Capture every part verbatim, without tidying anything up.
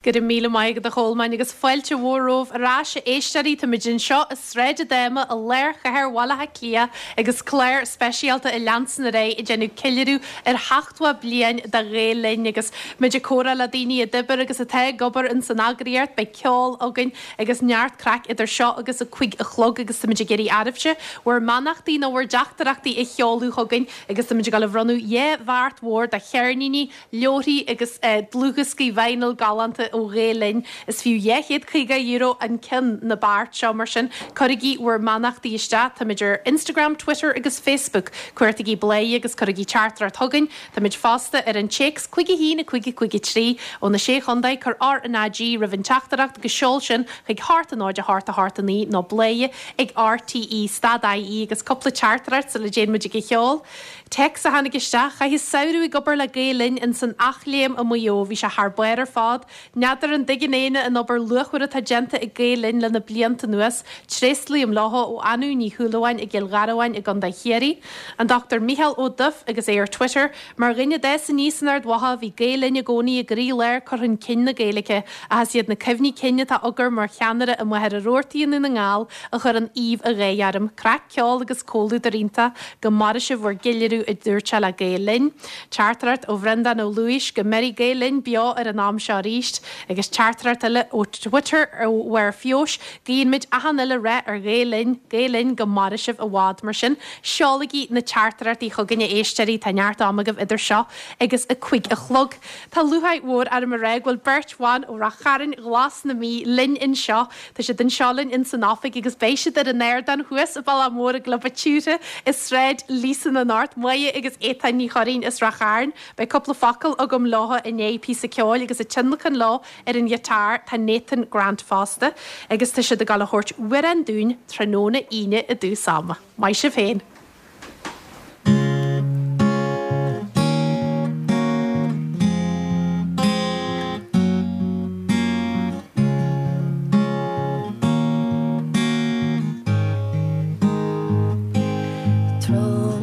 Go raibh míle maith agat a Cholmáin agus fáilte mhór romhaibh ar ais a éisteoirí táimid anseo i Sráid Fhadama i lár chathair Bhaile Átha Cliath agus clár speisialta ag leanstan ar aghaidh ag déanamh ceiliúradh ar sheachtó bliain de Ghael Linn agus muid ag comhrá le daoine a d'oibir agus atá ag obair in san eagraíocht beidh ceol againn agus neart craic idir seo agus a cúig a chlog agus táimid ag iarraidh oraibhse bhur mbeannachtaí nó bhur dteachtaireachtaí a sheoladh chugainn agus táimid ag dul a bhronnadh dhá bheart mhór de cheirníní, leabharthaí agus eh, dlúthdhioscaí vinyl galánta ó Ghael Linn is fiú dhá chéad caoga euro an ceann na beart seo mar sin cuirigí bhur mbeannachtaí isteach táimid ar Instagram, Twitter agus Facebook cuartaigí Bladhaire agus cuirigí teachtaireacht chugainn Táimid fosta ar an téacs cúig a haon a cúig a cúig a trí ó na sé chontae cuir R na G roimh an teachtaireacht agus seol sin chuig hocht a náid a hocht a hocht a naoi nó bladhaire ag RTÉ stad IE agus cúpla teachtaireacht sula dtéann muid ag an cheol. Téacs a tháinig isteach chaitheas samhradh ag obair le Gael Linn in san Eachléim i Maigh Eo, bhí sé thar barr ar fad, N'fheadar an dtuigeann éinne an obair luachmhar atá déanta ag Gael Linn le na blianta anuas, tréaslaím leo ó Anú Ní Shúilleabháin i gCill Gharbháin i gContae Chiarraí. An Dr Micheál Ó Duff agus é ar Twitter, mar dhuine a d'fhás aníos in Ard Mhacha bhí Gael Linn i gcónaí i gcroílár cur chun cinn na Gaeilge, ach is iad na cuimhní cinn atá agam mar cheannaire i Machaire Rabhartaigh i nDún na nGall a chuireann aoibh an gháire orm, craic ceol agus comhluadar iontach go maire sibh bhur gceiliúradh a dúirt sé le Gael Linn. Teachtaireacht ó Bhreandán Ó Luis go mbeidh Gael Linn beo ar an am seo arís, agus teachtaireacht eile ó Twitter ó Mhaor Feois, guímid achan uile rath ar Ghael Linn, Gael Linn go maire sibh i bhfad mar sin, seolaigí na teachtaireachtaí chugainn a éisteoirí tá neart ama agaibh idir seo agus a cúig a chlog. Tá lúcháir mhór orm a rá go bhfuil beirt bhan ó Ráth Chairn Ghlas na Mí linn anseo, Tá siad anseo linn in san oifig agus beidh siad ar an ardán thuas i Bealach Mór i gClub an tSiúrtha i Sráid Líosain anocht, Máire agus Étáin Ní Churraoin as Ráth Chairn. Beidh cúpla focal agam leo i ndiaidh píosa ceoil agus ag tionlacan leo ar an ghiotár tá Nathan Grant fosta, agus tá siad ag dul a thabhairt amhrán dúinn tráthnóna Aoine i dtús ama. Maith sibh féin.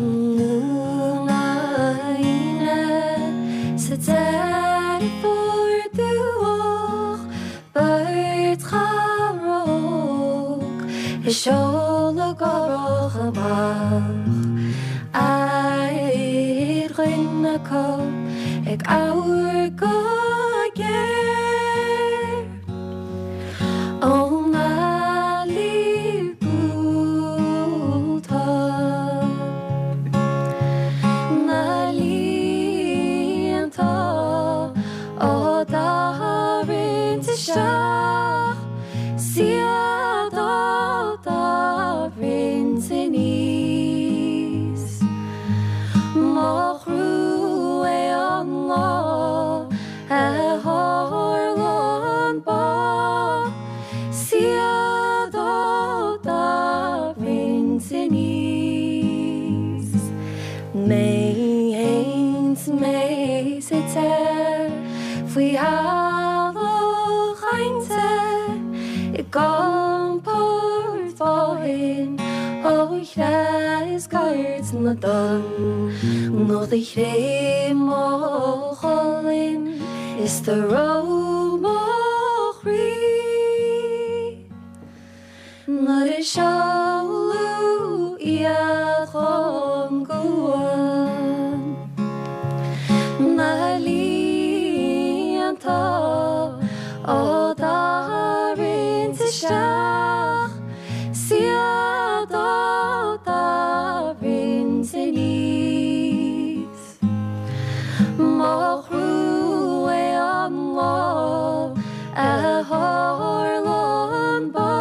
Tráthnóna Aoine sa Deireadh Fómhair dubhach beirt chara óg ag seoladh árthach amach Aghaidh dhuine acu ag amharc go géar Ó na buailte Na líonta á dtarraingt isteach 's iad á dtarraingt aníos. Mo thrua é an lá a tharla an bá 's iad á dtarraingt aníos. Mé fhéin 's mé suite faoi halla chainte i gcompord fáin ó threascairt na dtonn nó do chré mo cholainn is do reo mo chroí. Nuair a seoladh iad chun cuain na líonta á dtarraingt isteach 's iad á dtarraingt aníos. Mo thrua é an lá a tharla an bá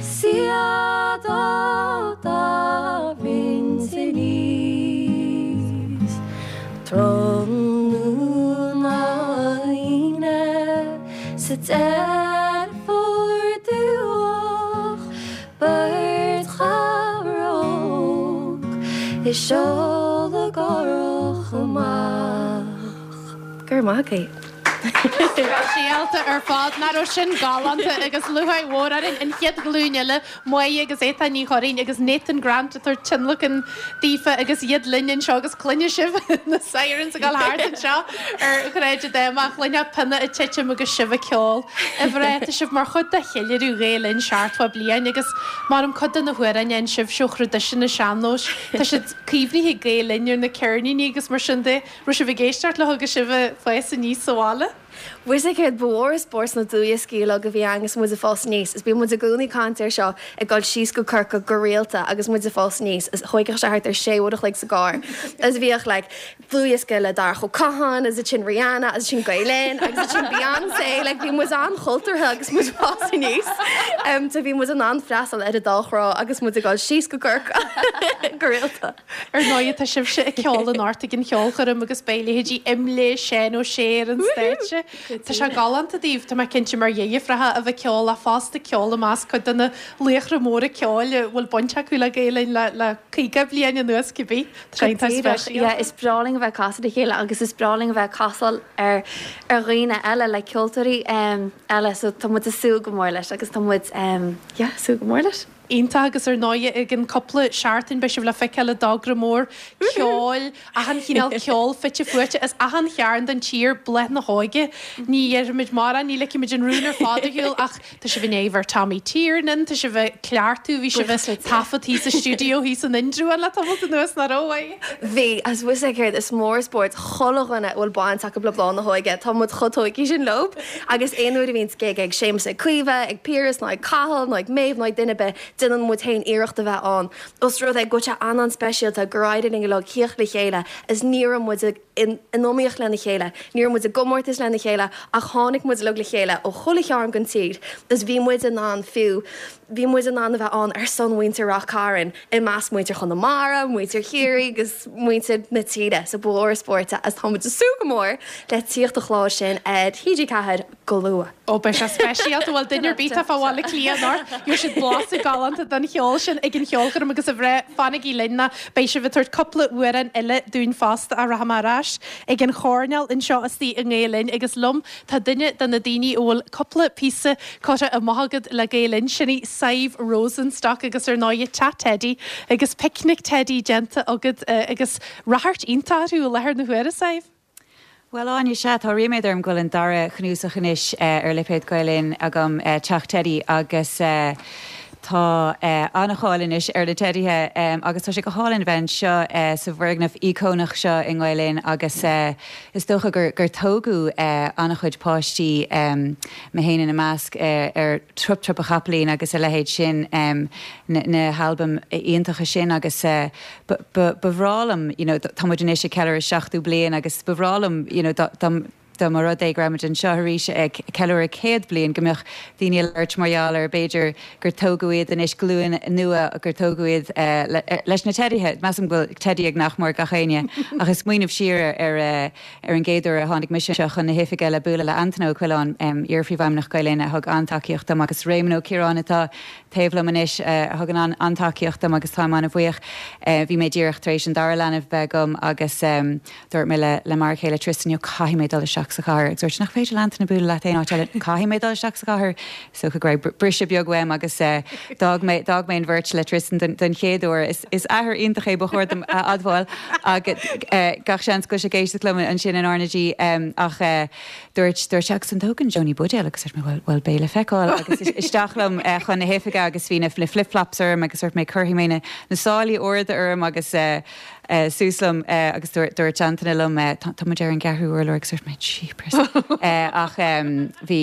's iad á dtarraingt aníos. Tráthnóna Aoine sa Deireadh Fómhair dubhach beirt chara óg ag seoladh árthach amach. Gur maith. Speisialta ar fad nach raibh sin galánta agus lúcháir mhór orainn an chéad ghlúin eile Máire agus Étáin Ní Churraoin agus Nathan Grant ag tabhairt tionlacan daofa agus iad linn anseo agus cluinfidh sibh na sirens ag dul thart anseo ar Shráid an Dama chluinfeá pionna ag titim agus sibh ag ceol. A mhná tá sibh mar chuid de cheiliúradh Ghael Linn seachtó bliain agus mar an cuid de na hamhráin a sibh seo traidisiún na sean-nóis Tá siad caomhnaithe ag Gael Linn ar na ceirníní agus mar sin de raibh sibh ag éisteacht leo agus sibh ag fás aníos sa bhaile. Bhuel céard ba mhór an spórt na dlúthdhioscaí uilig a bhí ann agus muid ag fás aníos, is bíonn muid i gcónaí ag caint air seo ag dul síos go Corcaigh go rialta agus muid ag fás aníos is thógfadh sé thart ar sé uair a chloig sa gcarr. Is bhíodh like dlúthdhiosca le Darach Ó Catháin, is ansin Rihanna, is ansin Gael Linn, agus ansin Beyoncé, like bhí muid an-chultúrtha agus muid ag fás aníos. Um, so bhí muid in ann freastal ar an dá thrá agus muid ag dul síos go Corcaigh go rialta. Ar ndóigh tá sibhse ag ceol anocht ag an cheolchoirm agus beidh leithéidí Imlé Seán Ó Sé ar an stáitse. Tá sé galánta daoibh tá mé cinnte mar dheirfiúracha a bheith ceol a fosta ceol i measc cuid de na laochra móra ceoil a bhfuil baint acu le Gael Linn le le caoga bliain anuas cibé Yeah, is breá linn a bheith casadh le chéile agus is breá linn a bheith casadh ar ar dhaoine eile le ceoltóirí um, eile so tá muid ag súil go mór leis agus tá muid um, yeah, súil go mór leis. Iontach agus ar ndóigh ag an cúpla seachtain beidh sibh le feiceáil i dtogra mór ceoil achan chineál ceol fite fuaite as achan chearn den tír Bláth na hÓige. Ní dhéarfaimid mórán ní ligfimid an rún ar fad ar shiúl ach tá sibh in éabhar Tommy Tiernan, tá sibh cleartú bhí sibh taifeadtaí sa stiúideo thíos san Indreabhán le tamall anuas nach raibh. Bhí as bhfuil céard is mór spórt chuile dhuine bhfuil baint acu le Bláth na hÓige Tá muid chomh tógtha sin leo agus aon uair a bhíonn gig ag Séamus ag Caoimhe, ag Piaras ná ag Cathal ná ag Méabh ná ag duine ar bith déanann muid féin iarracht a bheith ann. Os rud é go bhfuil sé an-an-speisialta gur éirigh linn uilig tíocht le chéile is ní raibh muid in iomaíocht lena chéile, ní raibh muid i gcomórtas lena chéile ach tháinig muid uilig le chéile ó chuile chearn den tír, is bhí muid in ann fiú bhí muid in ann a bheith ann ar son mhuintir Ráth Cairn i measc muintir Chonamara, muintir Chiarraí agus muintir na tíre sa bhór spóirt as tá muid ag súil go mór le tíocht a chlár sin ar TG Ceathair go luath. Ó beidh sé speisialta bhfuil duine ar bith fá Bhaile Átha Cliath anocht, gheobhaidh siad blaiseadh galánta den cheol sin ag an cheolchoirm agus a bhreith fanaigí linn ná beidh sibh ag tabhairt cúpla amhrán eile dúinn fosta a rachaidh ar ais ag an choirnéal anseo istigh i nGael Linn agus liom tá duine de na daoine a bhfuil cúpla píosa curtha amach agat le Gael Linn sin í Sadhbh Rosenstock agus ar ndóigh Teach Teddy agus Picnic Teddy déanta agat uh, agus ráchairt iontach orthu i láthair na huaire Sadhbh. Well Áine sea tá ríméad orm go bhfuil an dara cnuasach anois uh, ar lipéad Gael Linn agam uh, Teach Teddy agus uh, tá uh, an-cháil anois ar na teidithe um, agus tá sé go hálainn bheith seo uh, sa bhfoirgneamh íocónach seo i nGael Linn agus uh, is dócha gur, gur tógadh uh, an-chuid páistí um, mé féin ina measc uh, ar Trup Trup a Chapaillín agus a leithéid sin um, na, na halbaim iontacha sin agus uh, ba bhreá liom you know, tá muid anois ag ceiliúradh seachtó bliain agus ba bhreá liom you know, da, da, dá mba rud é go raibh muid anseo arís ag ceiliúradh céad bliain go mbeadh daoine ag labhairt mar gheall ar b'fhéidir gur tógadh iad anois glúin nua gur tógadh iad uh, le, leis na teidithe Measaim go bhfuil teidí ag nach mór gach éinne agus smaoineamh siar ar uh, ar an gcéad uair a tháinig mise seo chun na hoifige le bualadh le Antaine Ó Coileáin um, iar-phríomhfheidhmeannach Gael Linn a thug an-tacaíocht dom agus Réamonn Ó Ciaráin atá taobh liom anois uh, a thugann an an-tacaíocht dom agus táim an-bhuíoch uh, bhí mé díreach tar éis an dara leanbh bheith agam agus um, dúirt mé le le m'fhear céile Tristan jo caithfidh mé dul isteach sa chathair agus dúirt nach féidir le Antaine bualadh leat aon áit eile caithfidh mé dul isteach sa chathair so go raibh briseadh beag uaim agus uh, d'fhág mé d'fhág mé an bheirt le Tristan den, den chéad uair is, is athair iontach é ba chóir dom a admháil agus uh, gach seans go sé géiste liom ansin in R na G um, ach uh, dúirt dúirt agus an dtógann Johnny buidéal agus dúirt mé well, well beidh le feiceáil agus isteach liom uh, chun na hoifige agus bhí na flip-flops orm agus dúirt mé cuirfidh mé na, na sálaí arda orm agus uh, uh, suas liom uh, agus dúirt Antaine liom uh, tá muid ar an gceathrú urlár agus dúirt mé jeepers. uh, ach um, bhí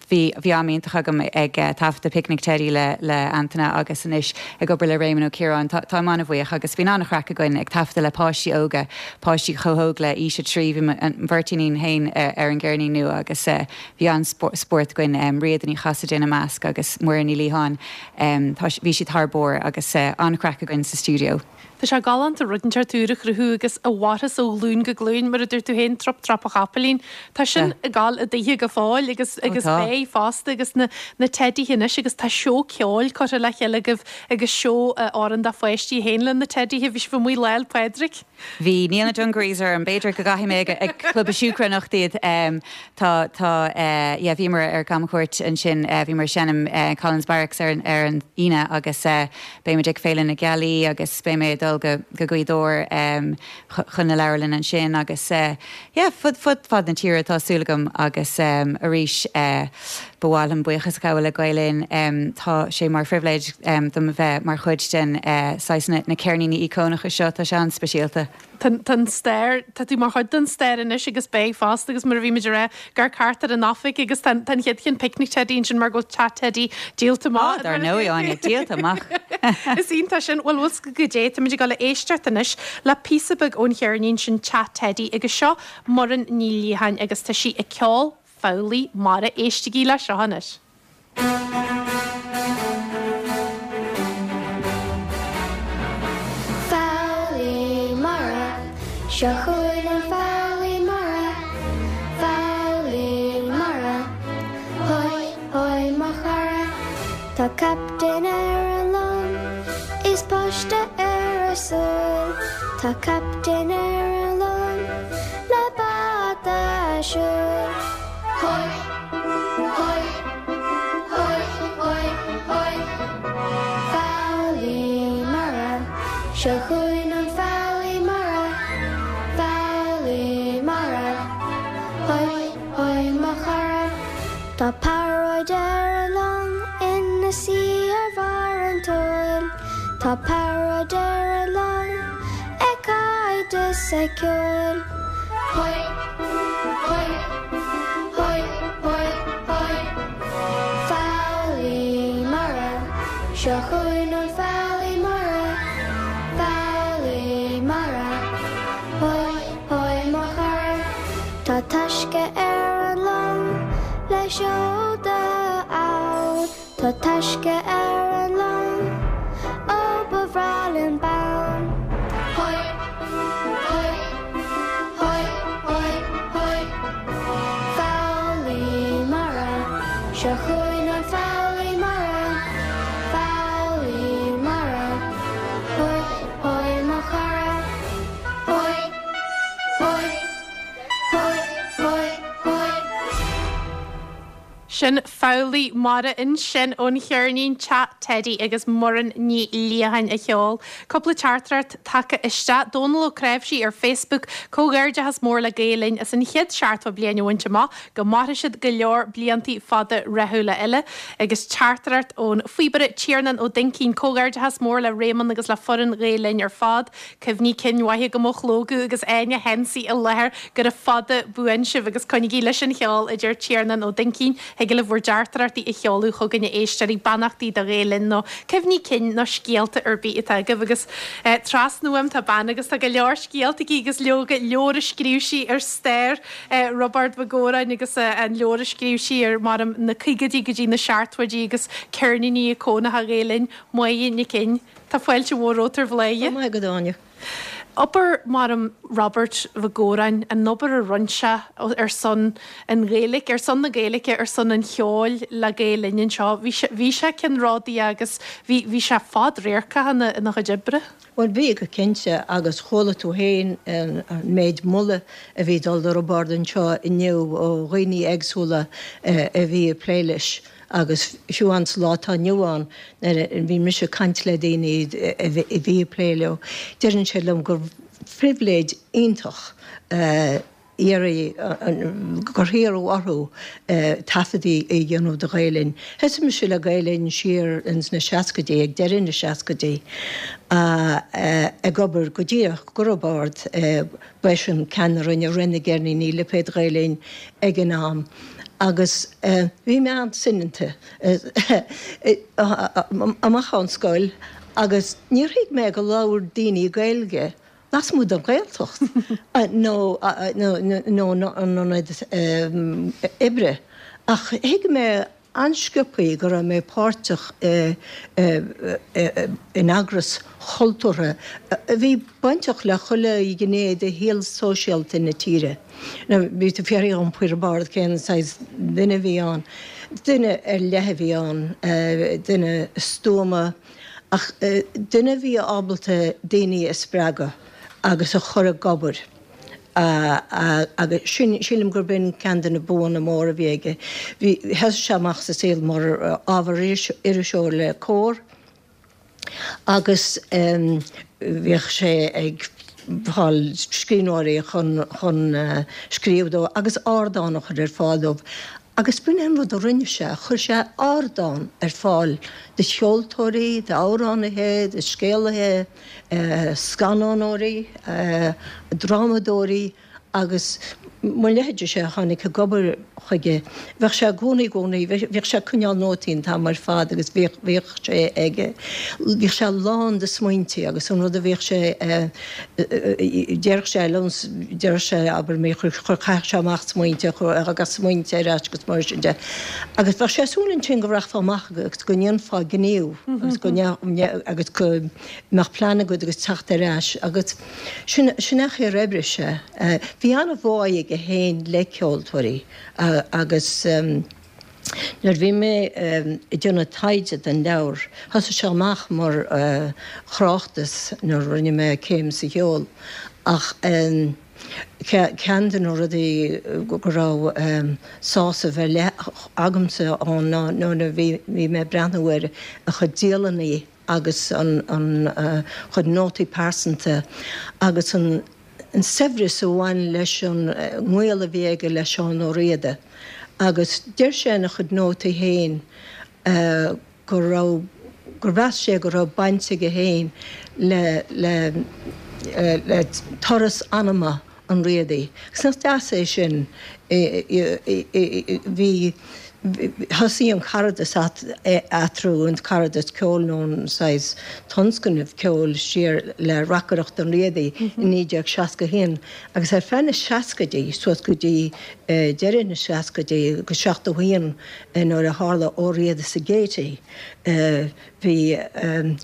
bhí bhí am iontach agam ag uh, taifeadadh Picnic Teddy le le Antaine agus anois ag obair le Réamonn Ó Ciaráin tá an-bhuíoch agus bhí an-chraic againn ag taifeadadh le páistí óga páistí chomh hóg le aois a trí bhí an bheirt iníon féin uh, ar an gceirnín nua agus uh, bhí an-spórt againn um, Ríad Ní Chasaide ina measc agus Muireann Ní Liatháin um, bhí siad thar barr agus uh, an-chraic againn sa stiúideo. Tá sé galánta rud inteacht úr a chruthú agus a mhairfeas ó ghlúin go glúin, mar a dúirt tú féin, Trup Trap a Chapaillín. Tá sin ag gabháil i dtithe go fóill agus agus beidh fosta agus na na teidithe anois agus tá seó ceoil curtha le chéile agaibh agus seó amhrán do pháistí féin le na teidithe. Bhí sibh amuigh Lá 'le Pádraig. Bhí, níl na dungarees orm, b'fhéidir go gcaithfidh mé ag Club an Siúcra anocht iad. Tá tá yeah bhíomar ar camchuairt ansin, bhíomar ag seinm Collins Barracks ar ar an Aoine agus beidh muid ag Féile na Gealaí agus beidh mé ag dul go go Gaoth Dobhair um, chun na leabharlann ansin agus uh, yeah, fud fud fad na tíre tá súil agam agus um, arís uh, ba mhaith liom buíochas a ghabháil le Gael Linn um, tá sé mar phribhléid um, dom bheith mar chuid den uh, na, na ceirníní íocónacha seo tá sé an-speisialta. Tá stair tá tú mar chuid den stair anois agus beidh fosta agus mar a bhí muid rá gur cart ar an oifig agus tá an chéad chin picnic teddy sin mar go bhfuil teach Teddy díolta amach. Dar ndóigh Áine díolta amach. Is iontach sin bhfuil bhfuil go dé tá muid ag dul a éisteacht anois le píosa beag ón cheirnín sin Teach Teddy agus seo Muireann Ní Liatháin agus tá sí ag ceol Foghlaí Mara éistigí le seo anois. Foghlaí mara, seo chugainn an foghlaí mara, foghlaí mara, hoi, hoi mo chara. Tá captaen ar an long, is páiste ar a súil, tá captaen ar an long, le bata siúil. Hoi, hoi, hoi, hoi, hoi. Foghlaí mara, seo chugainn an foghlaí mara, foghlaí mara, hoi, hoi mo chara. Tá pearóid ar an long ina suí ar bharr an tsáil, tá pearóid ar an long ag caint is ag ceol. Hoi, hoi, hoi, hoi, hoi. Foghlaí mara, seo chugainn an foghlaí mara, foghlaí mara, hoi, hoi mo chara. Tá taisce ar an long le seoda ann, tá taisce ar an long, ó ba bhreá linn bonn. Hoi, hoi, hoi, hoi, hoi. Foghlaí mara, seo chugainn an foghlaí mara, foghlaí mara, hoi, hoi mo chara. Hoi, hoi, hoi, hoi, hoi. Sin Foghlaí Mara ansin ón cheirnín Teach Teddy agus Muireann Ní Liatháin a cheol. Cúpla teachtaireacht tagtha isteach Dónal Ó Creimhsí ar Facebook comhghairdeachas mór le Gael Linn as an chéad seachtó bliain a bhaint amach go mairfidh siad go leor bliantaí fada rathúla eile agus teachtaireacht ón phíobaire Tiarnán Ó Duincín comhghairdeachas mór le Réamonn agus le foireann Ghael Linn ar fad, Cuimhní cinn mhaithe go mo chlógadh agus Áine Hensey i láthair gura fada buan sibh agus coinnígí leis an cheol a deir Tiarnán Ó Duincín Thig libh bhur dteachtaireachtaí a sheoladh chugainn a éisteoirí beannachtaí do Ghael Linn nó cuimhní cinn nó scéalta ar bith atá agaibh agus eh, trasna uaim tá bean agus tá go leor scéalta aici agus leoga leabhar a scríobh sí ar stair eh, Roibeárd Mac Góráin agus eh, an leabhar a scríobh sí ar mar na caogaidí go dtí na seachtóidí agus ceirníní íocónacha Ghael Linn Máire Nic Fhinn. Tá fáilte mhór romhat ar Bhladhaire. Maith go Áine. Obair mar Robert Mhac Góráin an obair a rinne sé ar son an Ghaeilge, ar son na Gaeilge ar son an cheoil le Gael Linn anseo. Bhí sé ceannródaíoch agus bhí sé fadradharcach ina ina chuid oibre. Well bhí go cinnte agus chuala tú féin an méid moladh a bhí dul do Roibeárd anseo inniu ó dhaoine éagsúla a bhí ag plé leis. agus fiú an lá atá inniu ann bhí mise ag caint le daoine a bhí ag plé leo. Deireann sé liom gur phribhléid iontach iarraidh gur hiarradh orthu taifeadtaí a dhéanamh do Ghael Linn. Thosaigh mise le Gael Linn siar ins na seascaidí ag deireadh na seascaidí ag obair go díreach do Roibeárd b'eisean ceann a rinne rith na gceirníní lipéad Ghael Linn ag an am. Agus bhí mé an-soineanta amach ón scoil agus níor thuig mé go labhair daoine Gaeilge lasmuigh den Ghaeltacht nó nó nó an ionad oibre. Ach thuig mé an-sciobtha go raibh mé páirteach in eagras chultúrtha a bhí bainteach le chuile ghné de shaol sóisialta na tíre. Now, bhí tú fiafraí dhom faoi Roibeárd cén saghas duine a bhí ann. Duine ar leith a bhí ann, duine stuama, ach duine a bhí ábalta daoine a spreagadh agus a chur ag obair. Agus sin, sílim gurb in ceann de na buanna móra a bhí aige. Bhí, thosaigh sé amach sa saol mar ábhar iriseoir le Comhar agus bhíodh sé ag fáil scríbhneoirí chun chun scríobh dó agus ardán a chur ar fáil dóibh. Agus b'in é an rud a rinne sé, chuir sé ardán ar fáil do cheoltóirí, d'amhránaithe, do scéalaithe, scannánóirí, drámadóirí agus mo leithéidese a tháinig ag obair chuige. Bheadh sé i gcónaí, i gcónaí, bhíodh sé ag coinneáil nótaí an t-am ar fad agus bhíodh, bhíodh sé ag, bhíodh sé lán de smaointe agus an rud a bhíodh sé, déarfadh sé liom, déarfadh sé, abair, mé, chuir, chaithfeadh sé amach smaointe, agus smaointe ar ais agus mar sin de. Agus bheadh sé ag súil ansin go rachfá amach agus go ndéanfá gníomh agus go agus go mbeadh plean agat agus teacht ar ais agus sin, sin é an chaoi ar oibrigh sé. Bhí an-bhá aige féin le ceoltóirí agus nuair a bhí mé ag déanamh taighde don leabhar, thosaigh sé amach mar thráchtas nuair a rinne mé céim sa cheol ach ceann de na rudaí go raibh sásamh ar leith agamsa ann ná nuair a bhí mé ag breathnú ar a chuid dialannaí agus an chuid nótaí pearsanta agus an an saibhreas a bhain leis an ngaol a bhí aige le Seán Ó Riada agus deir sé ina chuid nótaí féin go raibh, gur mheas sé go raibh baint aige féin le, le, le turas anama an Riadaigh. Agus nach deas é sin? Bhí. Thosaigh an caradas eatarthu, an caradas ceoil nó an saghas tionscnamh ceoil siar le reacaireacht an Riadaigh i naoi déag seasca a haon agus ar feadh na seascaidí, suas go dtí deireadh na seascaidí, go seachtó a haon nuair a tharla Ó Riada sa Gaiety, bhí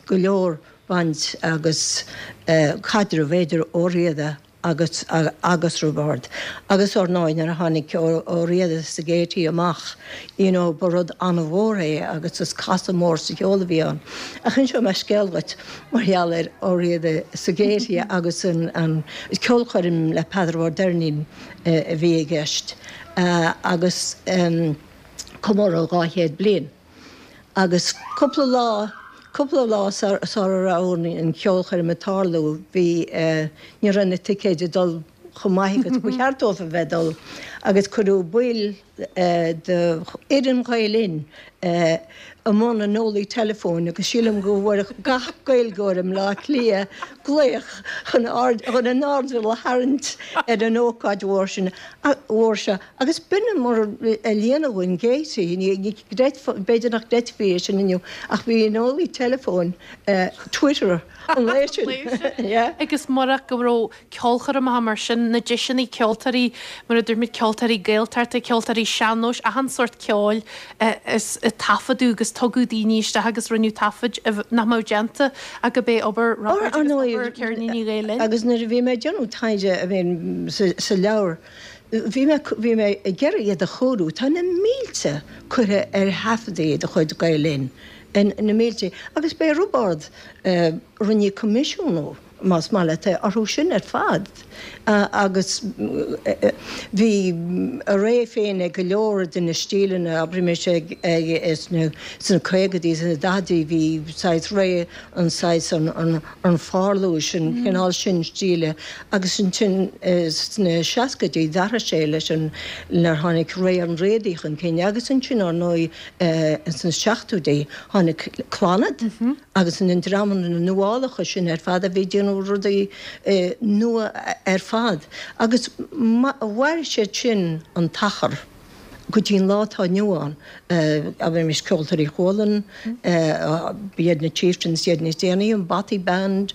go leor baint agus caidreamh idir Ó Riada agus agus Roibeárd. Agus ár ndóigh nuair a tháinig Ó Riada sa Gaiety amach, you know, ba rud an-mhór é agus is casadh mór sa cheol a bhí ann. Ach inseoidh mé scéal dhuit mar gheall ar Ó Riada sa Gaiety agus an an ceolchoirm le Peadar Ó Doirnín a bhí i gceist agus comóradh dhá chéad bliain. Agus cúpla lá, cúpla lá sara raibh an cheolchoirm ag tarlú, bhí, ní raibh na ticéid ag dul chomh maith agus ba cheart dóibh a bheith ag dul agus cuireadh baill de fhoireann Ghael Linn i mbun an eolaí teileafóin agus sílim go bhfuair gach Gaeilgeoir i mBleá Cliath glaoch chun chun a n-airdeall a tharraingt ar an ócáid mhór sin mhór seo agus b'in mar a líonadh an Gaiety. Ní b'fhéidir nach gcreidfí é sin inniu ach bhí an eolaí teileafóin Twitter an lae sin. Agus murach go raibh ceolchoirmeacha mar sin, na deiseanna ceoltóirí, mar a dúirt muid, ceoltóirí Gaeltachta, ceoltóirí sean-nóis, achan sórt ceoil is taifeadadh agus tugadh daoine isteach agus rinneadh taifid nach mbeadh déanta ach gurb é obair Roibeaird agus obair Ceirníní Ghael Linn. Agus nuair a bhí mé ag déanamh taighde I mean sa leabhar, bhí mé bhí mé ag iarraidh iad a chóiriú. Tá na mílte curtha ar thaifeadaí de chuid Gael Linn, na mílte. Agus b'é Roibeárd a rinne coimisiúnú, más maith leat é, orthu sin ar fad. Agus bhí a ré féin ag go leor de na stíleanna, abraimis ag sna caogaidí, sna daichidí, bhí saghas ré an saghas an pharlúis, an cineál sin stíle. Agus ansin sna seascaidí d'athraigh sé leis an, nuair a tháinig ré an Riadaigh chun cinn. Agus ansin, ar ndóigh, sna seachtóidí tháinig Clannad agus na dreamanna nuálacha sin ar fad a bhí ag déanamh rudaí nua ar fad agus mhair siad sin an t-achar go dtí an lá atá inniu ann. Abraimis Ceoltóirí Chualann, b'iad na Chieftains iad níos déanaí, an Bothy Band,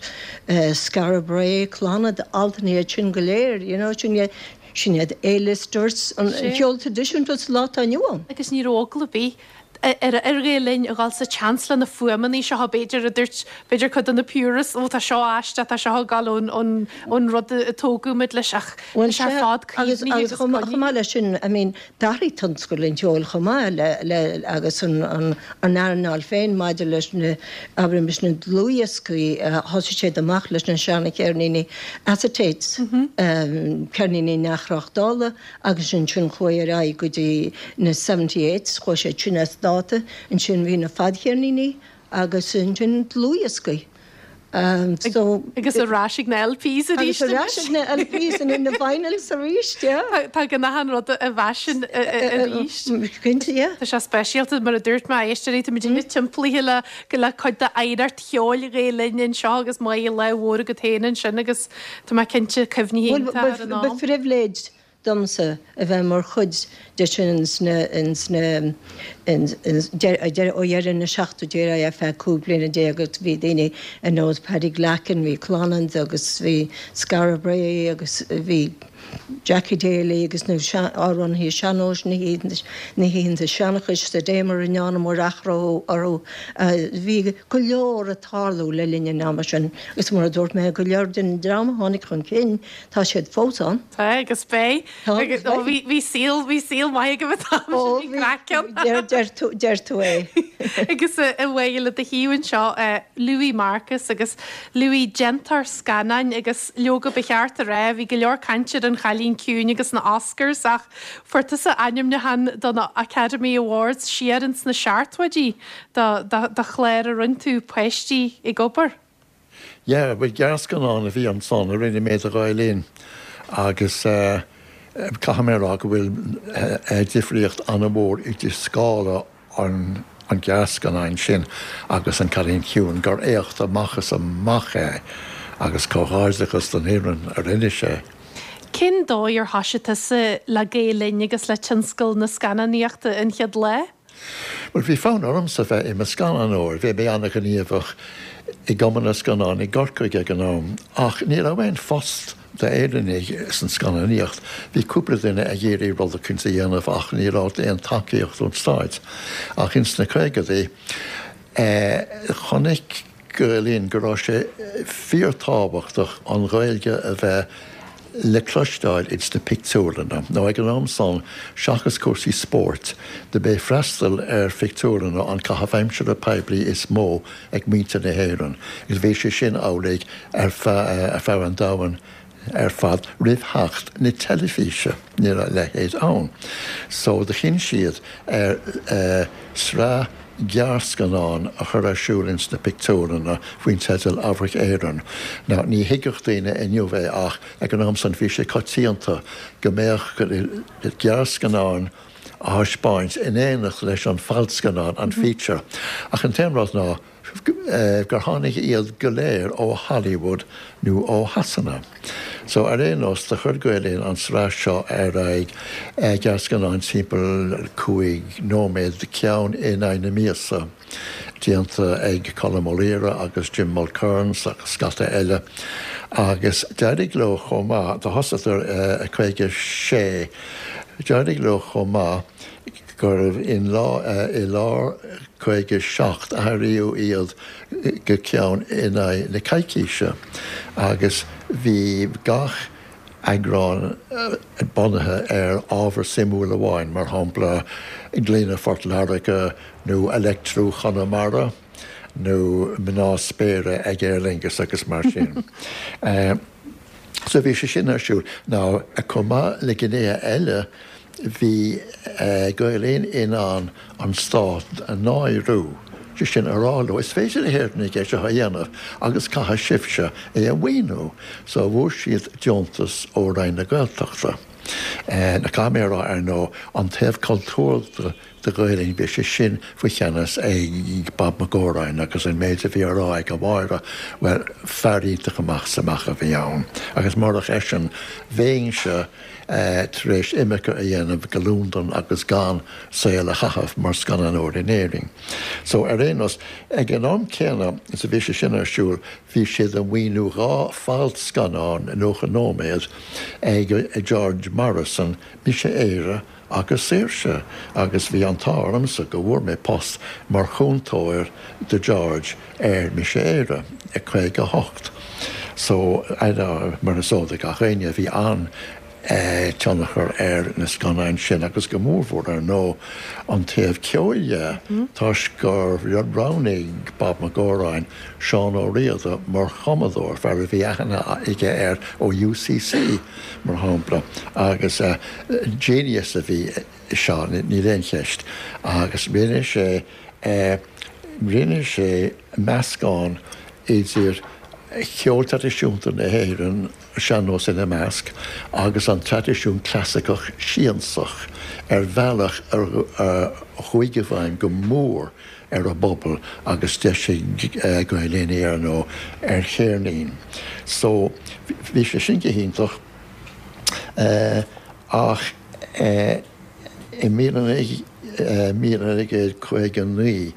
Skara Brae, Clannad, Altan iad sin go léir, you know, sin iad Sin iad A-listers an cheoil traidisiúnta sa lá atá inniu ann. Agus ní raibh eagla ar bith ar ar Ghael Linn a dhul sa tseans le na fuaimeanna seo b'fhéidir a dúirt b'fhéidir cuid de na purists ó tá seo aisteach tá seo ag gabháil ón ón ón rud a tógadh muid leis ach Bhuel tá sé ar fad agus cuimhnithe agus agus chomh coinnithe. chomh maith leis sin I mean d'athraigh tionscal an cheoil chomh maith le le agus an an an earnáil féin maidir leis na abraimis na dlúthdhioscaí thosaigh siad amach leis na seana-cheirníní acetates um, ceirníní neamhthráchtála agus ansin chuaigh ar aghaidh go dtí na seventy eights chuaigh sé sin as dáta ansin bhí na fadcheirníní agus ansin dlúthdhioscaí. Um, so Agus ar ais ag na LPs arís agus ar ais ag na LPs and in na vinyls arís, yeah. Tá go an rud i bhfaisean arís. Cinnte, yeah. Tá sé speisialta mar a dúirt mé éisteoirí tá muid timpeallaithe le go le cuid d'oidhreacht cheoil Ghael Linn anseo agus maith le mhór go féin ansin agus tá mé cinnte cuimhní Well, ar an ba am. phribhléid domsa a bheith mar chuid de sin sna sna ó dheireadh na seachtóidí ar feadh cúig bliana déag agus bhí daoine ar nós Paddy Glackin, bhí Clonans agus bhí Skara Brae agus bhí Jackie Daly agus na amhránaithe sean-nóis na hoícheanta seanchais sa Damer in ann mór achró orthu bhí go leor ag tarlú le linn an ama sin agus mar a dúirt mé go leor den dream a tháinig chun cinn tá siad fós ann. Tá agus beidh Tá agus agus beidh. bhí bhí saol bhí saol maith go bhí Deir deir tú deir tú é. Agus a bhfuil le do thaobh anseo Louis Marcus agus Louis déantóir scannáin agus leoga ba cheart a rá bhí go leor cainte ar an Chailín Ciúin agus na Oscars ach fuair tusa ainmniúchán do na Academy Awards siar ins na seachtóidí do do chlár a rinne tú Páistí ag Obair. Ja, bhuel gearrscannán a bhí ansan a rinne mé do Ghael Linn agus uh, caithfidh mé rá go bhfuil uh, difríocht an-mhór idir scála an an ghearrscannáin sin agus an Cailín Ciúin gur éacht amach is amach é agus comhghairdeachas don fhoireann a rinne sé. Cén dóigh ar thosaigh tusa le Gael Linn agus le tionscal na scannánaíochta an chéad lá? Well bhí fonn ormsa bheith i mo scannánóir, bhí mé an-ghníomhach i gCumann na Scannán i gCorcaigh ag an am, ach ní raibh aon phost d'Éireannaigh san scannánaíocht. Bhí cúpla duine ag iarraidh rud éicint a dhéanamh ach ní raibh aon tacaíocht ón stát. Ach ins na caogaidí eh, chonaic Gael Linn go raibh sé fíorthábhachtach an Ghaeilge a bheith le cloisteáil ins na pictiúrlanna. Nó ag an am san seachas cúrsaí spóirt, do b'é freastal ar phictiúrlanna an caitheamh aimsire poiblí is mó ag muintir na hÉireann. Is bhí sé sin amhlaidh ar feadh ar feadh an domhain ar fad roimh theacht na teilifíse ní raibh a leithéid ann. So do chinn siad ar uh, sraith gearrscannán a chur ar siúl ins na pictiúrlanna faoin teideal Amharc Éireann. Now, ní thuigfeadh daoine inniu é ach ag an am san bhí sé coitianta go mbeadh gearrscannán á thaispeáint in éineacht leis an fadscannán an feature. Ach an t-aon rud ná gur tháinig iad go léir ó Hollywood nó ó Shasana. So ar aon nós do chuir Gael Linn an sraith seo ar aghaidh gearrscannán timpeall cúig nóiméad ceann in aghaidh na míosa. Déanta ag Colm O'Leary agus Jim Mulkerns agus scata eile. Agus d'éirigh leo chomh maith do thosaíodar a caoga sé. D'éirigh leo chomh maith gurbh in lá i lár caoga seacht athraíodh iad go ceann in aghaidh na coicíse. Agus bhí gach eagrán bunaithe ar ábhar suimiúil amháin, mar shampla Glaine Phort Láirge nó Leictriú Chonamara nó mná spéire ag Aer Lingus agus mar sin. uh, so bhí sé sin ar siúl. Now chomh maith le gnéithe eile bhí uh, Gael Linn in ann an stát a náiriú. sé sin a rá leo is féidir le hÉireannaigh é seo a dhéanamh agus caithfidh sibhse é a mhaoiniú, so bhfuair siad deontas ó Roinn na Gaeltachta. Eh, na caméra ar nó an taobh cultúrtha de Ghael Linn bhí sé sin faoi cheannas ag Bob Mac Góráin agus an méid a bhí á rá ag a Mháire well fear iontach amach is amach a bhí ann. Agus murach eisean bheinnse eh, tar éis imirce a dhéanamh go Londain agus gan saol a chaitheamh mar scannánóir in Éirinn. So ar aon nós ag an am céanna is a bhí sé sin ar siúl bhí siad ag maoiniú dhá fadscannán nócha nóiméad ag George Morrison Mise Éire agus Saoirse agus bhí an t-ádh ormsa go bhfuair mé post mar chúntóir do George ar Mise Éire i caoga hocht. So mar is eol do gach éinne bhí an tionchar ar na scannáin sin agus go mórmhór ar ndóigh an taobh ceoil de toisc gur roghnaigh Bob Mac Góráin Seán Ó Riada mar chumadóir, fear a bhí aithne aige air ó UCC mar shampla agus genius a bhí i Seán, níl aon cheist agus rinne sé rinne sé meascán idir cheol traidisiúnta na hÉireann, sean-nós ina measc, agus an traidisiún clasaiceach siansach ar bhealach a chuaigh i bhfeidhm go mór ar an bpobal agus d'eisigh Gael Linn é ar ndóigh ar cheirnín. So bhí sé sin go hiontach ach i míle naoi gcéad caoga naoi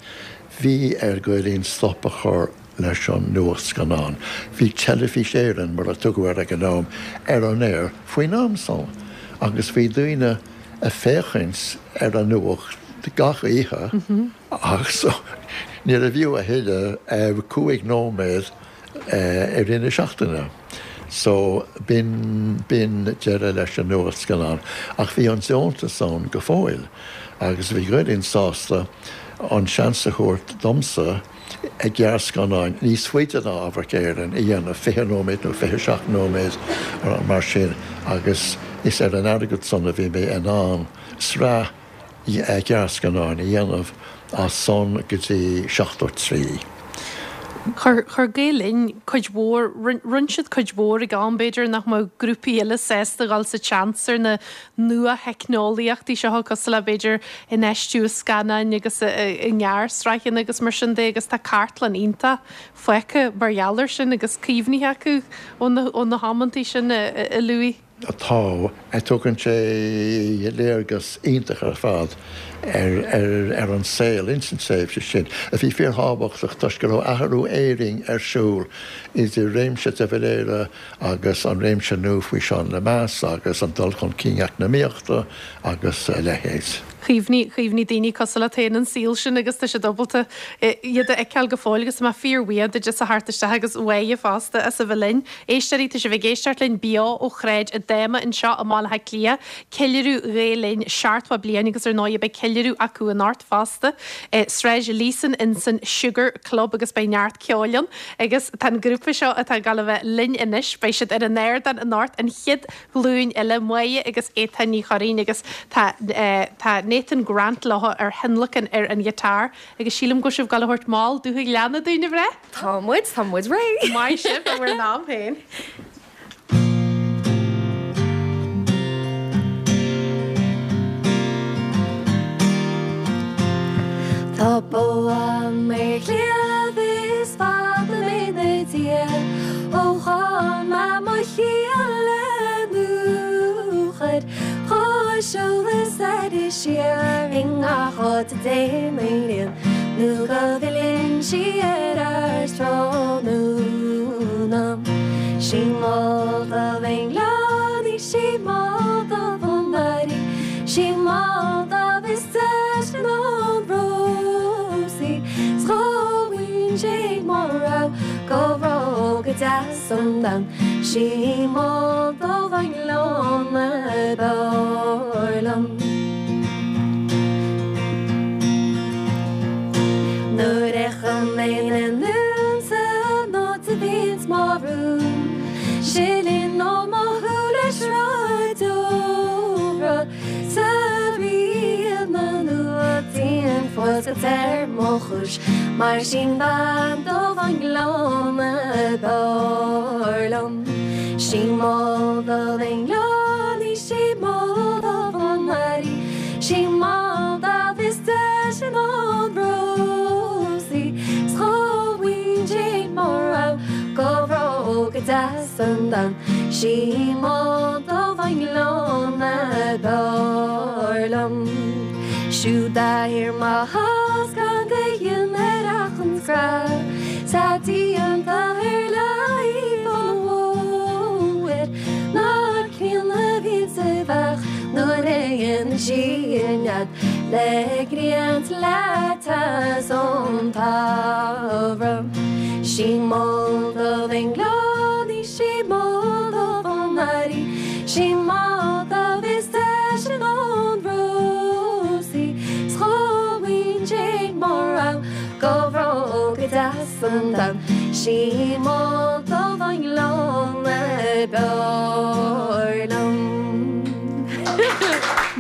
bhí ar Gael Linn stop a chur leis an nuachtscannán. Bhí Teilifís Éireann, mar a tugadh air ag an am, ar an aer faoin am san agus bhí daoine ag féachaint ar an nuacht gach oíche ach so níorbh fhiú a thuilleadh cúig nóiméad i rith na seachtaine. So b'in b'in deireadh leis an nuachtscannán. Ach bhí an deontas ann go fóill agus bhí Gael Linn sásta an seans a thabhairt domsa gearrscannáin níos faide ná Amharc Éireann a dhéanamh, fiche nóiméad nó fiche seacht nóiméad mar sin, agus is ar an airgead san a bhí mé in ann sraith gearrscannáin a dhéanamh as san go dtí seachtó trí. Chuir chuir Gael Linn cuid mhór, rinne siad cuid mhór ag am b'fhéidir nach mbeadh grúpaí eile sásta dhul sa tseans ar na nua-theicneolaíochtaí seo cosúil le b'fhéidir infheistiú i scannáin agus i ngearrsraitheanna agus mar sin de agus tá cartlann iontach fágtha mar gheall air sin agus cuimhní acu ó na ó na hamantaí sin a Louis. Tá, tugann sé léargas iontach ar fad ar ar an saol ins an tréimhse sin, a bhí fíorthábhachtach toisc go raibh athrú éirinn ar siúl idir réimse de Valera agus an réimse nua faoi Seán Lemass agus an dul chun cinn eacnamaíochta agus a leithéid. Chuimhnigh, chuimhnigh daoine cosúil leat féin an saol sin agus tá siad ábalta iad a fheiceáil go fóill agus tá mé fíorbhuíoch duit as a theacht isteach agus Mháire fosta as a bheith linn. Éisteoirí, tá sibh ag éisteacht linn beo ó Shráid Adama anseo i mBaile Átha Cliath, ceiliúradh Ghael Linn seachtó bliain agus ar ndóigh beidh ceiliúradh acu anocht fosta i Sráid Leeson insan Sugar Club agus beidh neart ceoil ann agus tá an grúpa seo atá ag dul a bheith linn anois, beidh siad ar an ardán anocht, an chéad ghlúin eile, Máire agus Étáin Ní Churraoin agus tá tá Nathan Grant leo ar thionlacan ar an ghiotár agus sílim go bhfuil sibh ag dul a thabhairt mall Dúthaigh Ghleanna dúinn, a mhná? Tá muid, tá muid réidh! Maith sibh, i bhur n-am féin. Tá bó a'm ar chliabh is fada mé 'na diaidh ó chaill mé mo chiall le nuachair Chuaigh eolas air siar i ngach áit a dtéann an ghrian nó go bhfilleann sí ar ais tráthnóna. Sí mol do bhingleánaí, sí mol do bhonnairí, sí mol do is deise ná an rósaí 's chomhaoin sé mar raibh go raibh go deas an domhan. Sí mol do bhingleána b'fhearr liom. Nuair a fheicim mé na ndúnta an áit a bhíonns mo rún, sileann ó mo shúile sruth deora sa ríon na nuachtaíonn fuascailt ar mo chúis mar sin bean do bhingleána b'fhearr liom. Sí mol do bhingleánaí, sí mol do bhonnairí, sí mol do is deise ná an rósaí 's chomhaoin sé mar raibh go raibh go deas an domhan. Sí mol do bhingleána b'fhearr liom. Siúd a thiar mo chás gan de dhein ar achan scraith 's a díonta ar láimh an bhóthair ná críonna a bhíonn sa bheach nuair a dhéanann sí a nead le grian 's le teas ón tsamhradh. Sí mol domh an gleann í, sí mol domh an fharraige, sí mol domh is deise ná na rósaí, 's chomh aoibhinn mar am go raibh go deas an t-am. Sí mol domh an gleann a b'fhearr liom.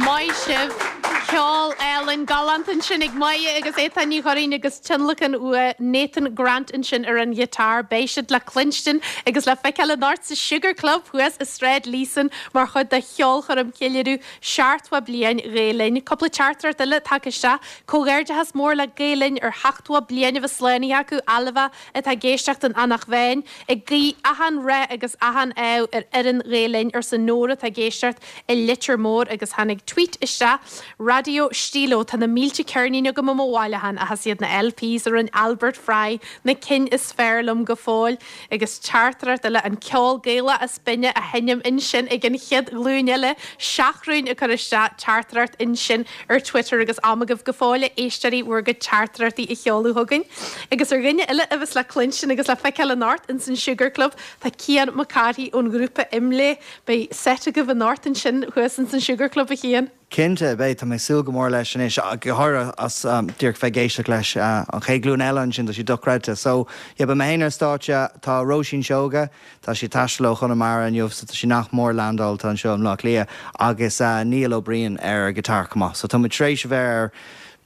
Maith sibh. Ceol álainn galánta ansin ag Máire agus Étáin Ní Churraoin agus tionlacan ó Nathan Grant ansin ar an ghiotár. Beidh siad le cluinstin agus le feiceáil anocht sa Sugar Club thuas i Sráid Leeson mar chuid de cheolchoirm cheiliúradh seachtó bliain Ghael Linn. Cúpla teachtaireacht eile tagtha isteach. Comhghairdeachas mór le Gael Linn ar sheachtó bliain a bheith slánaithe acu Ailbhe atá ag éisteacht in Eanach Mheáin. Ag guí achan rath agus achan ádh ar fhoireann Ghael Linn arsa Nóra atá ag éisteacht i Leitir Móir agus tháinig tweet isteach. Radio Stíló tá na mílte ceirnín agam i mo bhailiúchán ach is iad na LPs a rinne Albert Fry na cinn is fearr liom go fóill agus teachtaireacht eile an ceol Gaelach is binne a sheinm ansin ag an chéad ghlúin eile Seachrún ag cur isteach teachtaireacht ansin ar Twitter agus am agaibh go fóill a éisteoirí bhur gcuid teachtaireachtaí a sheoladh chugainn. Agus ar dhuine eile a bheas le cluinstin agus le feiceáil anocht ins an Sugar Club tá Cian Mac Cárthaigh ón ghrúpa Imlé beidh set agaibh anocht ansin thuas ins an Sugar Club a Chian. Cinnte beidh tá mé ag súil go mór leis anois go háirithe as díreach bheith ag éisteacht leis an chéad ghlúin eile ansin tá sé dochreidte. So yeah, beidh mé féin ar stáitse tá Róisín Seoige, tá sí ag taisteal ó Chonamara inniu so tá sí nach mór landáilte anseo i mBleá Cliath agus uh, Neil Ó Briain ar guitar chomh maith. So tá muid tar éis a bheith ar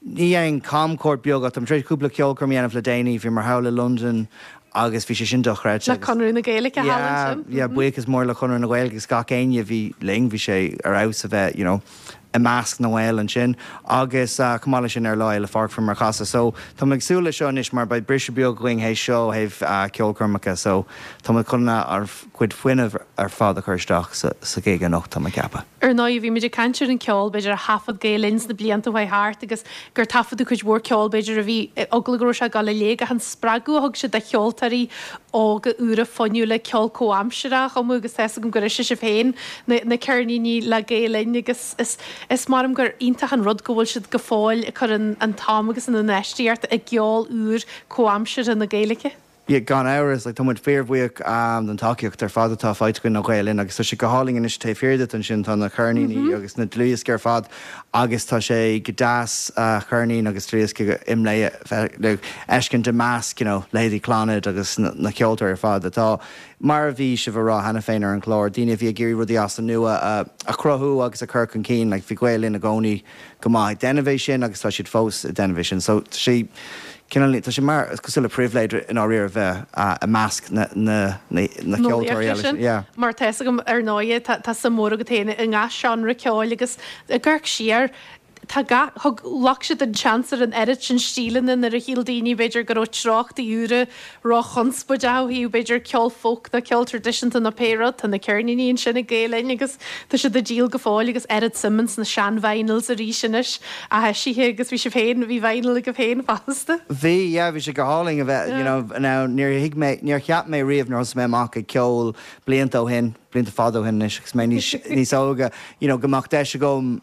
ní an camchuairt beag tá tar éis cúpla ceolchoirm a dhéanamh le déanaí bhí mar thall i London agus bhí sé sin dochreidte. Le Conradh na Gaeilge Yeah, yeah, buíochas mór le Conradh na Gaeilge agus gach éinne bhí linn bhí sé ar fheabhas a bheith you know, i measc na nGael ansin agus uh, chomh maith leis sin ar Lá Fhéile Pádraig mar chasadh. So tá ag súil le seo anois mar beidh briseadh beag againn théis seo thaobh uh, ceolchoirmeacha, so tá chun ár gcuid fuinnimh ar fad a chur isteach sa, sa gig anocht tá mé ag ceapadh. Ar ndóigh bhí muid ag caint ar an ceol b'fhéidir a thaifead Gael Linn sna blianta chuaigh thart agus gur taifeadadh cuid mhór ceol b'fhéidir a bhí eagla go raibh sé ag dul i léig ach an spreagadh a thug sé do cheoltóirí óga úra fuinniúla ceol comhaimseartha a chumadh agus tá agam gur ise sibh féin na, na ceirníní le Gael Linn agus is, is maram gur iontach an rud go bhfuil siad go fóill ag cur an, an t-am agus an infheistíocht i gceol úr comhaimseartha na Gaeilge. Yeah, gan amhras like, tá muid fíorbhuíoch um, den tacaíocht ar fad atá faighte againn ó Ghael Linn agus tá sé go hálainn anois taobh thiar díot ansin tá na ceirníní mm -hmm. agus na dlúthdhioscaí ar fad agus tá sé go deas uh, ceirnín agus dlúthdhiosca Imlé fheiscint i measc you know, leithéidí Clannad agus na, na ceoltóirí ar fad atá mar a bhí sibh a rá cheana féin ar an chlár, daoine a bhí ag iarraidh rudaí as an nua uh, a chruthú agus a chur chun cinn, like, bhí Gael Linn i gcónaí go maith ag déanamh é sin agus tá siad fós ag déanamh é sin. So sé Cinál tá sé mar cosúil le pribhléid in áiríre bheith i measc na na na na ceoltóirí eile sin. Yeah. Mar tá agam ar ndóigh tá suim mhór agat féin i ngach seánra ceoil agus ag amharc siar Tá thug ghlac siad an seans ar an oiread sin stíleanna nuair a shíl daoine b'fhéidir go raibh treochtaí úra róchonspóideach b'fhéidir ceol folk nó ceol traidisiúnta nó pé rud tá na ceirníní ansin ag Gael Linn agus tá siad ag díol go fóill agus oiread suim sna sean-vinyls arís anois a heisithe agus bhí sibh féin bhí vinyl agaibh féin fosta. Bhí yeah, bhí sé go hálainn a bheith you know, now níor thuig mé níor cheap mé riamh nuair thosaigh mé amach ag ceol blianta ó shin, blianta fada ó shin anois agus mé níos níos óige, you know, go mbeadh deis agam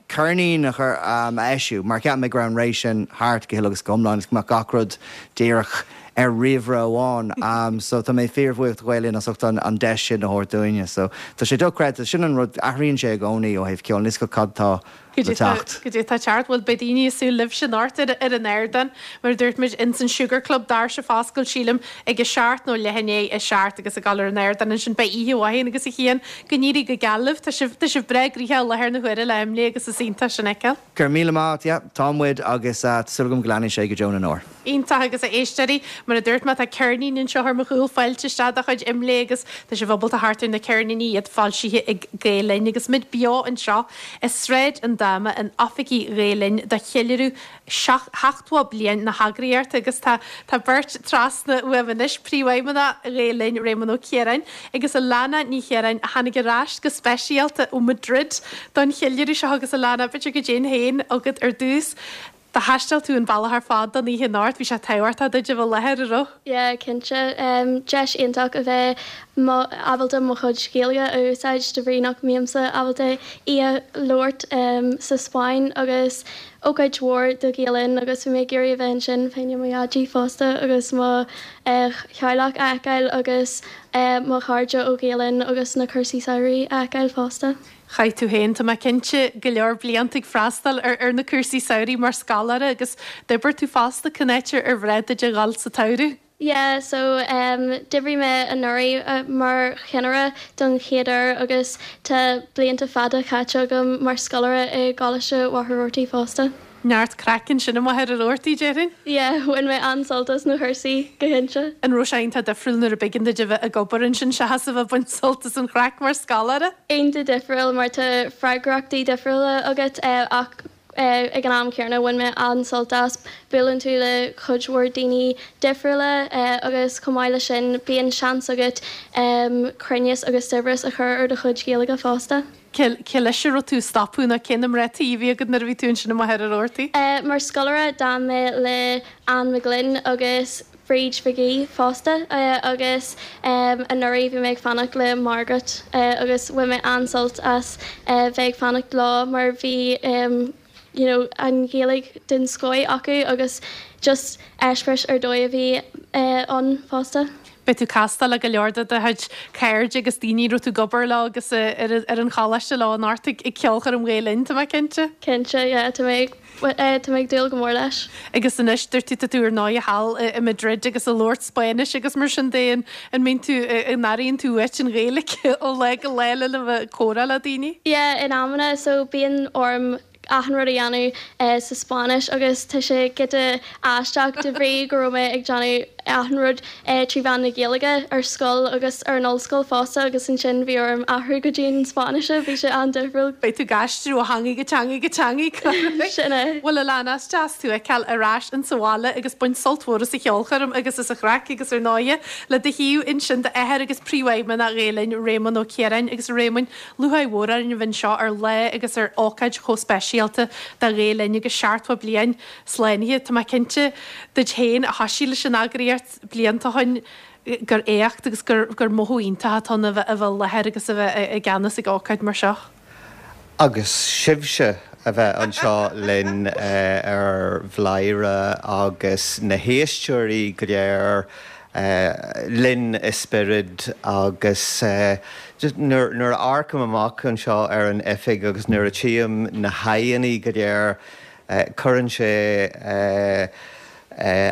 ceirnín a chur um, a eisiú, mar cheap mé go raibh an ré sin thart go huile agus go hiomlán, go mbeadh gach rud díreach ar ríomhaire amháin. Um, so tá mé fíorbhuíoch do Ghael Linn as ucht an, an deis sin a thabhairt dúinne. So tá sé dochreidte sin an rud athraíonn sé i gcónaí ó thaobh ceol níos go cad tá le teacht. Go dtí tá teart bhfuil beidh daoine ag súil libh sin anocht ar ar an ardán mar dúirt muid ins an Sugar Club doirse ag oscailt sílim ag a seacht nó leath i ndiaidh a seacht agus ag dul ar an ardán ansin beidh oíche mhaith agus a Chian go n-éirí go geal libh Tá sibh tá sibh breá gnoitheach i láthair na huaire le Imlé agus is iontach sin a fheiceáil. Gur míle maith yeah, tá muid agus uh, súil agam go leanfaidh sé go deo na ndeor. Iontach agus a éisteoirí mar a dúirt mé tá ceirnín anseo ar mo chúl fáilte isteach de chuid Imlé agus tá sibh ábalta theacht ar na ceirníní iad foilsithe ag Gael Linn agus muid beo anseo i Sráid an Dáma in oifigí Ghael Linn do cheiliúradh seachtó bliain na heagraíochta agus tá tá beirt trasna uaim anois príomhfheidhmeannach Ghael Linn Réamonn Ó Ciaráin agus Alana Ní Chiaráin a tháinig ar ais go speisialta ó Madrid don cheiliúradh seo agus Alana b'fhéidir go dtéinn féin agat ar dtús. Do thaistil tú an bealach ar fad don oíche anocht, bhí sé tábhachtach duit a bheith i láthair, an raibh? Yeah, cinnte. Deis iontach a bheith ábalta mo chuid Gaeilge a úsáid de bhrí nach mbímse ábalta í a labhairt sa Spáinn agus ócáid mhór do Ghael Linn agus bhí mé ag iarraidh a bheith ansin fá choinne mo dhaidí fosta agus mo theaghlach a fheiceáil agus mo chairde ó Ghael Linn agus na cúrsaí samhraidh a fheiceáil fosta. Chaith tú féin, tá mé cinnte, go leor blianta ag freastal ar na cúrsaí samhraidh mar scoláire agus d'oibir tú fosta, cén áit ar bhreá duit a dhul sa tsamhradh? Yeah, so d'oibrigh mé anuraidh mar chinnire don chéad uair agus tá blianta fada caite agam mar scoláire i gColáiste Mhachaire Rabhartaigh fosta. Neart craic ansin i Machaire Rabhartaigh, déarfainn? Yeah, bhain mé an-sult as na cúrsaí, go cinnte. An raibh sé iontach difriúil nuair a b'éigean duit a bheith ag obair ansin seachas a bheith ag baint sult as an chraic mar scoláire? Iontach difriúil mar tá freagrachtaí difriúla agat ach ag an am céanna bhain mé an-sult as. Buaileann tú le cuid mhór daoine difriúla agus chomh maith leis sin bíonn seans agat cruinneas agus saibhreas a chur ar do chuid Gaeilge fosta. Cé leis a raibh tú ag stopadh nó cé na mná tí a bhí agat nuair a bhí tú ansin i Machaire Rabhartaigh? Mar scoláire d'fhan mé le Anne McGlynn agus Bríd McGee fosta agus anuraidh bhí mé ag fanacht le Margaret agus bhain mé an-sult as bheith ag fanacht leo mar bhí you know an Ghaeilge den scoth acu agus just eispéireas ar dóigh a bhí ann fosta. Beidh tú ag castáil le go leor de do chuid cairde agus daoine a raibh tú ag obair leo agus ar an choláiste leo anocht ag ceolchoirm Ghael Linn, tá mé cinnte. Cinnte, yeah, tá mé tá mé ag dúil go mór leis. Agus anois, dúirt tú, tá tú ar ndóigh thall i Madrid agus ag labhairt Spáinnis agus mar sin de, an mbíonn tú, an airíonn tú uait an Ghaeilge ó lá go lá le bheith ag comhrá le daoine? Yeah, in amanna, so bíonn orm achan rud a dhéanamh sa Spáinnis agus tá sé giota aisteach de bhrí go raibh mé ag déanamh achan rud trí mheán na Gaeilge ar scoil agus ar an ollscoil fosta agus ansin bhí orm athrú go dtí an Spáinnis, bhí sé an-difriúil. Beidh tú ag aistriú ó theanga go teanga go teanga. Sin é. Bhuel Alana, is deas tú a fheiceáil ar ais insa bhaile agus baint sult mhór as an cheolchoirm agus as an chraic agus ar ndóighe le do thaobh ansin d'athair agus Príomhfheidhmeannach Ghael Linn, Réamonn Ó Ciaráin agus a Réamoinn, lúcháir mhór orainn a bheith anseo ar lá agus ar ócáid chomh speisialta do Ghael Linn agus seachtó bliain slánaithe. Tá mé cinnte duit féin a thoisigh leis an eagraíocht blianta ó shin gur éacht agus gur gur mothú iontach atá ann a bheith a bheith i láthair agus a bheith i gceannas ag ócáid mar seo. Agus sibhse a bheith anseo linn ar Bhladhaire agus na héisteoirí go léir linn i spiorad agus nuair a amharcaim amach anseo ar an oifig agus nuair a tchím na haghaidheanna go léir, cuireann sé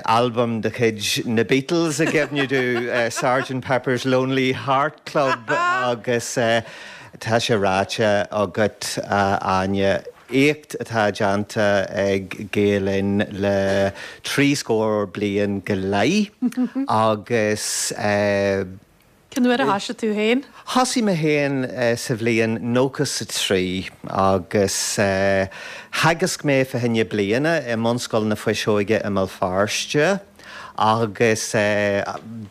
albam de chuid na Beatles i gcuimhne domh, Sergeant Pepper's Lonely Heart Club agus tá sé ráite agat, a Áine, éacht atá déanta ag Gael Linn le trí scór bliain go leith agus. Cén uair a thoisigh tú féin? Thosaigh mé féin sa bhliain nócha 's a trí agus theagasc mé fá choinne bliana i mBunscoil na Fuiseoige i mBéal Feirste agus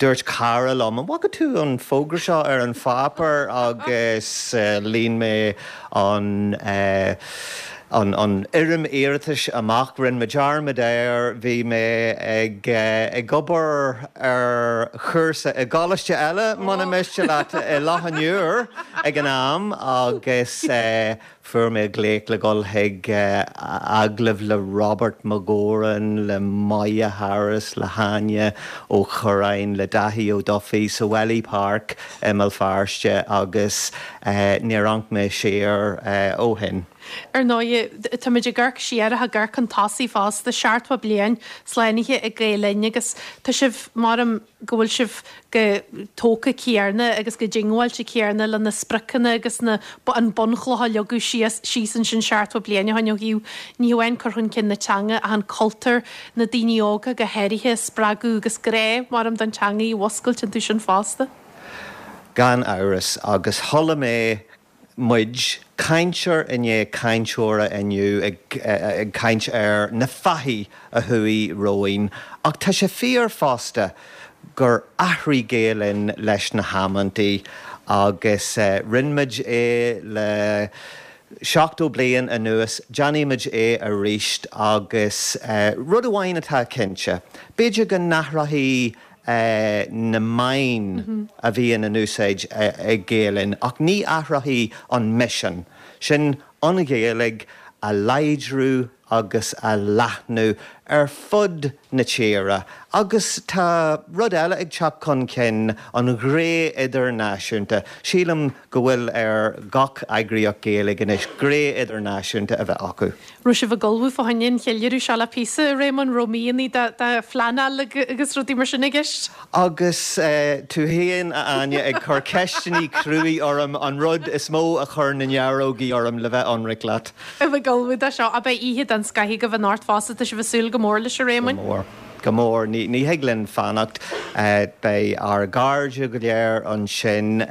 dúirt cara liom, 'An bhfaca tú an fógra seo ar an pháipéar?' agus líon mé an an an fhoirm iarratais amach, rinne mé dearmad air, bhí mé ag ag obair ar chúrsa i gcoláiste eile, muna miste leat, i Loch an Iúir ag an am agus fuair mé glaoch le dhul chuig agallamh le Robert Mac Góráin, le Moya Harris, le hÁine Ó Curráin, le Daithí Ó Dufaigh sa Wellaí Park i mBéal Feirste agus níor amharc mé siar ó shin. Ar ndóigh, táimid ag amharc siar ach ag amharc chun tosaigh fosta, seachtó bliain slánaithe ag Gael Linn agus tá sibh, maram go bhfuil sibh chomh tógtha céanna agus chomh diongbháilte céanna le na spriocanna agus na, an bunchloch a leagadh síos, síos ansin seachtó bliain ó shin ó thaobh ní hamháin cur chun cinn na teanga ach an cultúr, na daoine óga go háirithe a spreagadh agus grá, maram, don teanga a mhúscailt iontu sin fosta. Gan amhras, agus chuala mé muid, cainteoir i ndiaidh cainteora inniu ag caint ar na fathaigh a chuaigh romhainn, ach tá sé fíor fosta gur athraigh Gael Linn leis na hamantaí agus rinne muid é le Seachtó bliain anuas, déanfaimid é arís agus rud amháin atá cinnte, b'fhéidir go n-athróidh na meáin a bhíonn in úsáid ag Gael Linn ach ní athróidh an misean, sin an Ghaeilge a láidriú agus a leathnú ar fud na tíre. Agus tá rud eile ag teacht chun cinn, an ghné idirnáisiúnta. Sílim go bhfuil ar gach eagraíocht Gaeilge anois gné idirnáisiúnta a bheith acu. Raibh sibh ag ullmhú fá choinne an cheiliúradh seo le píosa, a Réamoinn, raibh míonna de phleanáil agus rudaí mar sin i gceist? Agus tú féin, a Áine, ag cur ceisteanna cruaidh orm, an rud is mó a chuir na nearógaí orm, le bheith ionraic leat. A bheith ag ullmhú dó seo, ach beidh oíche den scoth agaibh anocht fosta, tá sibh ag súil go mór leis, a Réamoinn? Go mór. Go mór. Ní ní thig linn fanacht. Beidh ár gcairde go léir ansin.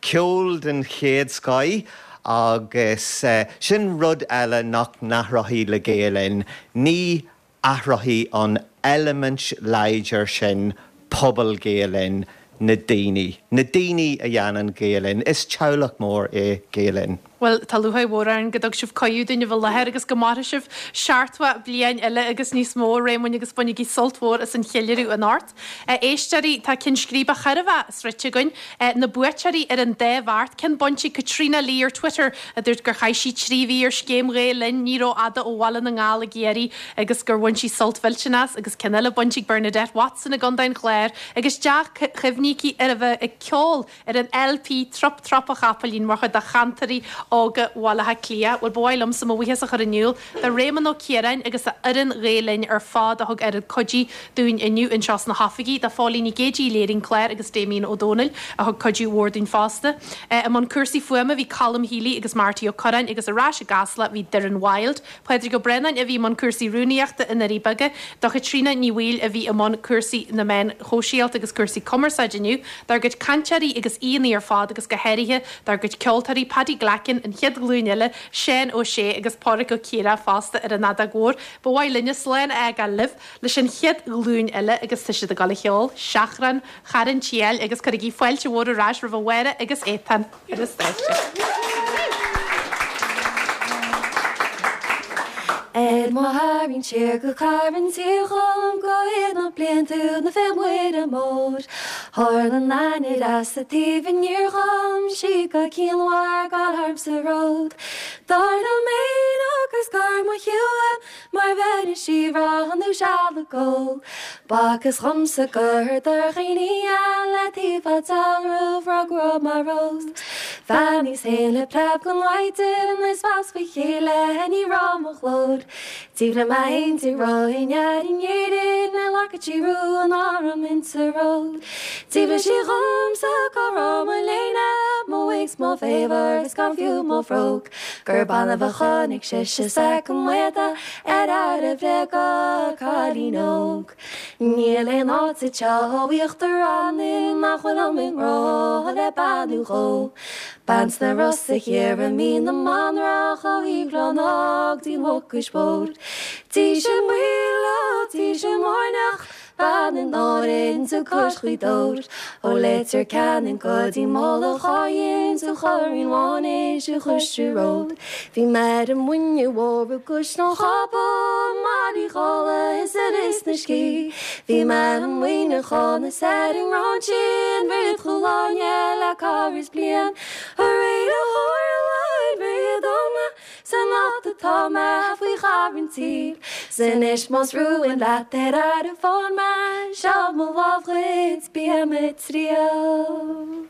Ceol den chéad scoth agus sin rud eile nach n-athróidh le Gael Linn. Ní athróidh an eilimint láidir sin pobal Gael Linn, na daoine. Na daoine a dhéanann Gael Linn. Is teaghlach mór é Gael Linn. Bhuel, tá lúcháir mhór orainn go dtug sibh cuireadh dúinn a bheith i láthair agus go mairfidh sibh seachtó bliain eile agus níos mó, a Réamoinn, agus bainigí sult mhór as an cheiliúradh anocht. A éisteoirí, tá ceann scríbe chóir a bheith sroichte againn. Na buaiteoirí ar an dá bheart, ceann bainte ag Caitríona Lee ar Twitter a dúirt gur chaith sí trí mhí ar scéim Ghael Linn, ní rófhada ó Bhaile na nGall i gCiarraí, agus gur bhain sí sult mhillteanach as, agus ceann eile bainte ag Bernadette Watson i gContae an Chláir agus dea-chuimhní aici ar a bheith ag ceol ar an L P Trup Trup a Chapaillín mar chuid de Chantairí Óga Bhaile Átha Cliath. Bhuel, ba mhaith liomsa mo bhuíochas a chur in iúl do Réamonn Ó Ciaráin agus a fhoireann Ghael Linn ar fad a thug oiread cuidí dúinn inniu anseo sna hoifigí, do Phóilín Nic Géidigh, léirigh an clár agus Damien Ó Dónaill a thug cuidiú mhór dúinn fosta. I mbun cúrsaí fuaime bhí Colm Healy agus Marty Ó Curráin agus ar ais i gCasla bhí Doireann Wilde. Pádraig Ó Braonáin a bhí i mbun cúrsaí rúnaíochta i nDoirí Beaga, do Chaitríona Ní Bhaoill a bhí i mbun cúrsaí na meán shóisialta agus cúrsaí cumarsáide inniu, dár gcuid cainteoirí agus aíonna ar fad agus go háirithe dár gcuid ceoltóirí, Paddy Glackin, an chéad ghlúin eile, Seán Ó Sé agus Pádraig Ó Ciardha fosta ar an fheadóg mhór. Ba mhaith linne slán a fhágáil libh leis an chéad ghlúin eile agus tá siad ag dul a cheol, Seachrán, Charn tSiáil agus cuirigí fáilte mhór ar ais roimh Mháire agus Étáin ar an stáitse. Ar mo tharraingt siar go Carn tSiáil dhom go iad na blianta na fé Mhuire Mór. Tharla an ainnir sa taobh aniar dhom sí go cianmhar gan tharm sa ród. Dar liom féin agus gur mo shiúl mar bheireann sí roghnú seal a gó. B'fhacthas dhomsa gur do dhaoine eile taobh a dealramh rug raibh mar rós. Bheannaíos féin le preab go maidin is mheas faoi chéile ní raibh mo ghlór. Taobh le m'aon roinn ar in Éirinn na lacaití rua ná raibh insa ród. D'fhiafraigh sí dhomsa cá raibh mo léine, mo wig 's mo fhaobhar is gan fiú mo bhróg, Gurb annamh a chonaic sise soitheach maoda ar fhear a bhréaga cailín óg. Níl aon áit sa teach íochtar ann nach bhfuilim i ngrá le bean nó dhó. Bean sna Rosa thiar i Mín na Manrach ó Uíbh Ráthach dtí'n Mhucais Mhór. Díse Maoile, Díse Mairneach, bean in Árainn 's cois Ghaoth Dobhair, Ó Leitir Ceanainn go dtí Mullach Áidhinn 's ó Chorraín Mhánais i gcois Ród. Bhí mé ar an Muine Mhór i gCaisleán Chabha, Mailí Dhála is ar Lios na Scí. Bhí mé i Muineachán is ar an nGráinsín, Bhrid Chúil Airne le corradh is bliain. Arae ó tharla an bhríd dom san áit atá mé faoi Charn tSíl. 'S anois más rúin leat ar aire fán mé, seo mo lámh dhuit, bím ag triall.